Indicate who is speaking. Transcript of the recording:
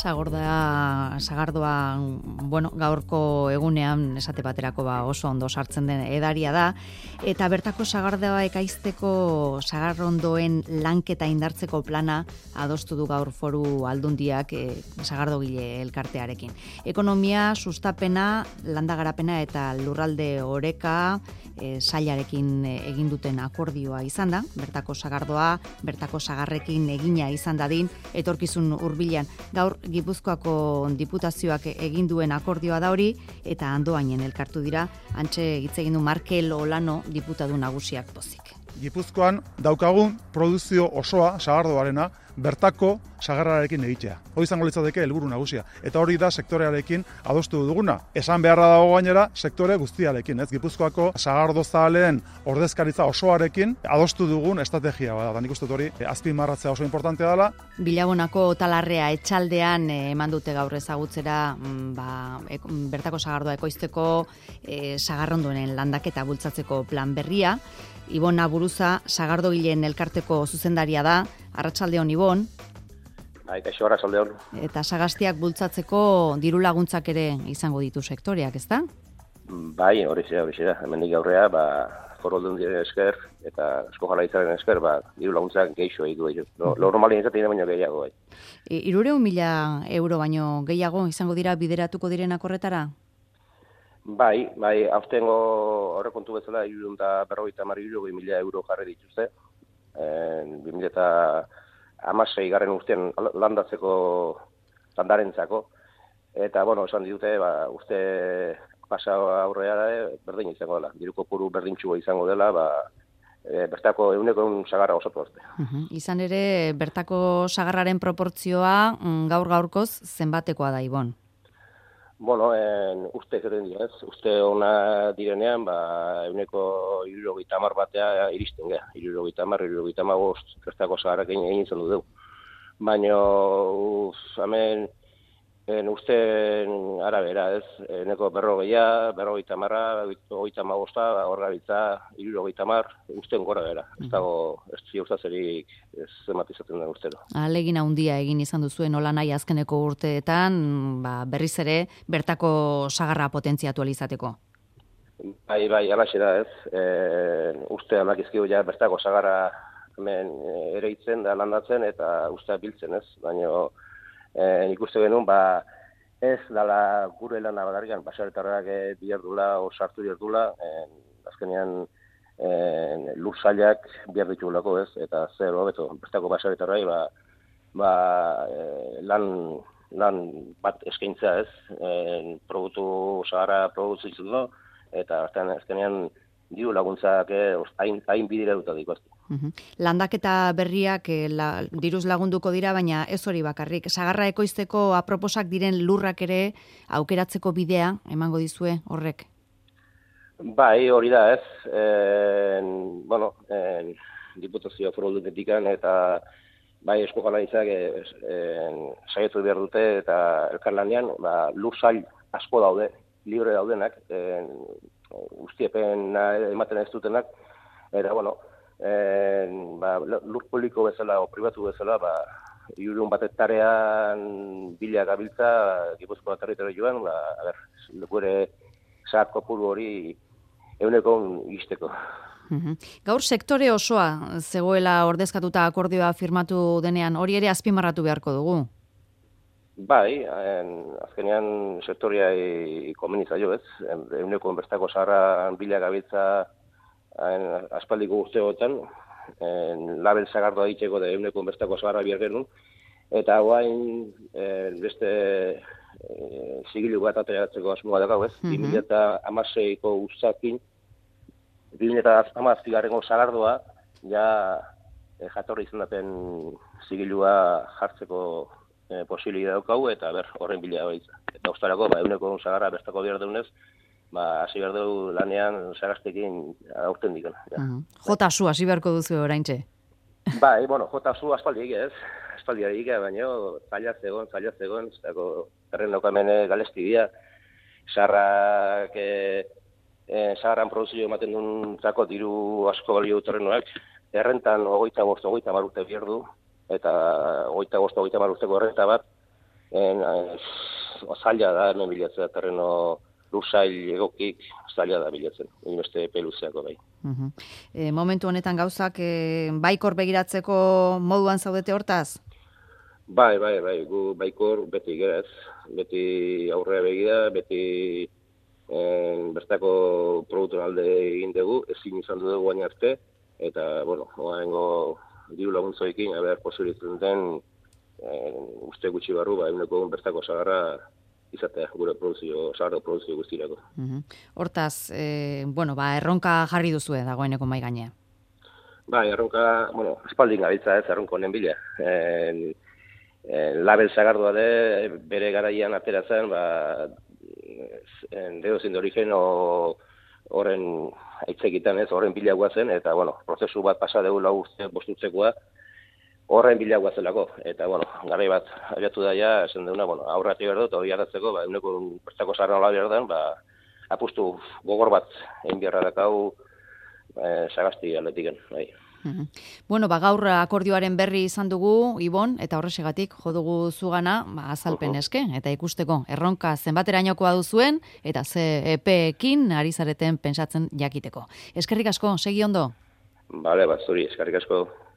Speaker 1: Sagardoa, gaurko egunean esate baterako oso ondo sartzen den edaria da, eta bertako sagardoa ekaizteko sagarrondoen lanketa indartzeko plana adostu du gaur Foru Aldundiak sagardogile elkartearekin. Ekonomia, sustapena, landagarapena eta lurralde oreka sailarekin egin duten akordioa izan da, bertako sagardoa, bertako sagarrekin egina izan dadin, etorkizun hurbilean. Gaur Gipuzkoako diputazioak egin duen akordioa da hori, eta Andoainen elkartu dira, antxe hitz egin du Markel Olano diputatu nagusiak pozik.
Speaker 2: Gipuzkoan daukagun produzio osoa, sagardoarena, bertako sagarrarekin egitea. Hori izango litzateke helburu nagusia. Eta hori da sektorearekin adostu duguna. Esan beharra dago gainera sektore guztiarekin, Gipuzkoako sagardozaleen ordezkaritza osoarekin adostu dugun estrategia bada. Da nik uste hori azpimarratzea oso importantea dela.
Speaker 1: Bilabonako Talarrea etxaldean eman dute gaur ezagutzera bertako sagardoa ekoizteko sagarrondoen landaketa bultzatzeko plan berria. Ibon Aburuza, sagardogileen elkarteko zuzendaria da. Arratsaldeon, Ibon.
Speaker 3: Kaixo, arratsaldeon.
Speaker 1: Eta sagastiak bultzatzeko diru laguntzak ere izango ditu sektoreak, ezta?
Speaker 3: Bai, hori da. Hemendik aurrea, Foru Aldundiaren esker eta Eusko Jaurlaritzaren esker, diru laguntzak gehiago egin du. Normalien izaten baino gehiago, bai.
Speaker 1: 300.000 euro baino gehiago izango dira bideratuko direnak horretara?
Speaker 3: Bai, aurtengo aurrekontu bezala 350.000 euro jarri dituzte. 2016 urtean landarentzako. Eta, esan ditute, uste pasa aurrea berdin izango dela. Diru kopuru berdintxua izango dela, bertako 100% sagarra osatu arte.
Speaker 1: Izan ere, bertako sagarraren proportzioa gaur-gaurkoz zenbatekoa da, Ibon?
Speaker 3: Uste egiten dira, uste ona direnean, 170 batea iristen geha. 75 bertako sagarrakin egin izan du. Baina, uste arabera, eneko 40, 50, hor gabiltza, 70, usten gora bera. Ez dago, ez ziurtazerik zematizatzen den ustero.
Speaker 1: Ahalegin handia egin izan duzuen nola nahi azkeneko urteetan, berriz ere, bertako sagarra potentziatu alizateko.
Speaker 3: Bai, alaxe da ez. Uste amakizkiu bertako sagarra hemen ere itzen da landatzen eta uste biltzen ez. Baina ikuste genuen, ez dala gure lana badarrian, basaretarrak bihardula, sartu bihardula, azkenean lur zailak bihar ditugulako ez, eta zer hobeto, bertako basaretarrai, lan bat eskaintza ez, sagarra produzitzen du, eta azkenean diru laguntzak hain bidira dut adikoazte.
Speaker 1: Landaketa berriak diruz lagunduko dira, baina ez hori bakarrik. Sagarra ekoizteko aproposak diren lurrak ere aukeratzeko bidea emango dizue horrek?
Speaker 3: Bai, hori da ez. Diputazio Foru Aldundietikan eta bai Eusko Jaurlaritzak saiatu behar dute eta elkarlanean lur zail asko daude, libre daudenak, guztiepen ematen ez dutenak, eta lur publiko bezala o pribatu bezala, 100 hektarean bila gabiltza Gipuzkoa territorioan, gure sagar kopuru hori 100% izteko.
Speaker 1: Gaur sektore osoa zegoela ordezkatuta akordioa firmatu denean, hori ere azpimarratu beharko dugu?
Speaker 3: Bai, azkenean sektoria komenizaio ez, 100% bertako sagarra bila gabiltza aspaldiko urteotan, label sagardoa egiteko da 100% bertako sagarra bihar genuen, eta guain beste zigilu bat ateratzeko asmoa dago ez, 2016ko ustakin, 2016 sagardoa, jatorri izan daten zigilua jartzeko posibilidad daukagu, eta horren bila baitza. Eta ustarako, 100% sagarra bertako bihar deunez, hasi behar dugu lanean sagaztekin aurten dikana.
Speaker 1: Jotasu, hasi beharko duzu oraintxe?
Speaker 3: Bai, jotasu aspaldi egia ez. Aspaldi egia, baina zaila zegoen, erren daukamene galesti dira. Sagarran produzio ematen duen zako diru asko balio terrenoak, errentan 25-30 urte behar du, eta 25-30 urteko errenta bat, zaila da hemen bilatzea, terreno lursail egokik zaila da bilatzen, beste epe luzeako bai.
Speaker 1: Momentu honetan gauzak baikor begiratzeko moduan zaudete hortaz?
Speaker 3: Bai, gu baikor beti gerez, beti aurrea begira, beti bertako produktuen alde egin dugu, ezin izan dugu baina arte, eta, oaingo diru laguntzoekin, posibilitzen den, uste gutxi barru, eguneko bertako sagarra izatea, gure sagarra produzio guztirako.
Speaker 1: Hortaz, erronka jarri duzue dagoeneko mai gainean.
Speaker 3: Bai, erronka, espaldin gabiltza ez, erronko honen bila. Label sagardua de, bere garaian ateratzen, deozin de origen horren aitzekitan ez, horren bilagoa zen, eta, prozesu bat pasa dugu lau urte bostutzekoa, horren bilagoa zelako, eta, garai bat abiatu daia, esan deuna, aurrati behar dut, hori hartatzeko, eguneko bertako zaharra nola behar den, apustu gogor bat egin beharra dakau sagasti aldetiken, bai.
Speaker 1: Gaur akordioaren berri izan dugu, Ibon, eta horrexegatik jo dugu zugana, azalpen eske, eta ikusteko erronka zenbaterainokoa duzuen, eta ze epeekin ari zareten pentsatzen jakiteko. Eskerrik asko, segi ondo?
Speaker 3: Bale, zuri, eskerrik asko.